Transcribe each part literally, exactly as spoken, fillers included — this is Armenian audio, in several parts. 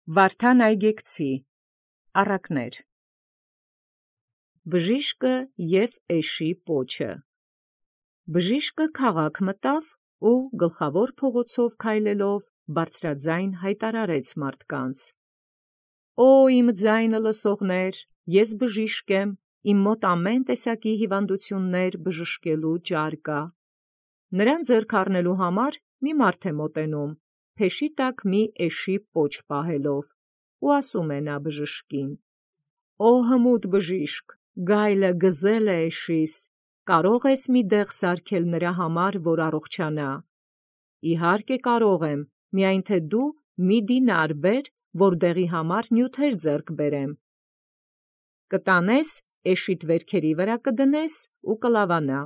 Վարդան Այգեկցի առակներ Բժիշկը և էշի պոչը Բժիշկը քաղաք մտավ ու գլխավոր փողոցով քայլելով բարձրաձայն հայտարարեց մարդկանց. «Օ իմ ձայնը լսողներ, ես բժիշկ եմ, իմ մոտ ամեն տեսակի հիվանդություններ բժշկելու ճար կա»։ Նրան ձեռք առնելու համար մի մարդ է մոտենում, փեշի տակ մի էշի պոչ պահելով, ու ասում է նա բժշկին. «Օ հմուտ բժիշկ, գայլը գզել է էշիս, կարո՞ղ ես մի դեղ սարքել նրա համար, որ առողջանա»։ «Իհարկե կարող եմ, միայն թե դու մի դինար բեր, որ դեղի համար նյութեր ձեռք բերեմ»։ «Կտանես, էշիդ վերքերի վրա կդնես ու կլավանա»։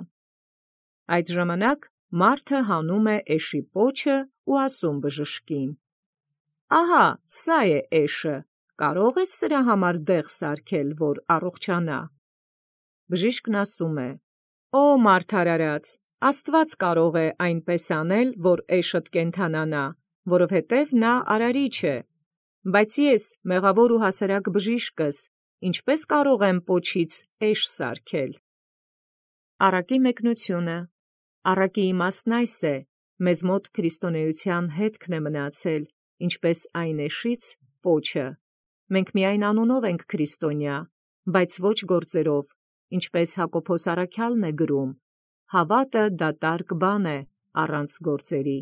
Այդ ժամանակ մարդը հանում է էշի պոչը ու ասում բժշկին. «Ահա սա է էշը, կարո՞ղ ես սրա համար դեղ սարքել, որ առողջանա»։ Բժիշկն ասում է. «Օ մարդ արարած, Աստված կարող է այնպես անել, որ էշդ կենդանանա, որովհետև նա արարիչ է, բայց ես մեղավոր ու հասարակ բժիշկս ինչպե՞ս կարող եմ պոչից էշ սարքել»։ Առակի մեկնությունը Առակի իմաստն այս է. մեզ մոտ քրիստոնեության հետքն է մնացել, ինչպես այն էշից պոչը։ Մենք միայն անունով ենք քրիստոնյա, բայց ոչ գործերով, ինչպես Հակոբոս առաքյալն է գրում. «Հավատը դատարկ բան է առանց գործերի»։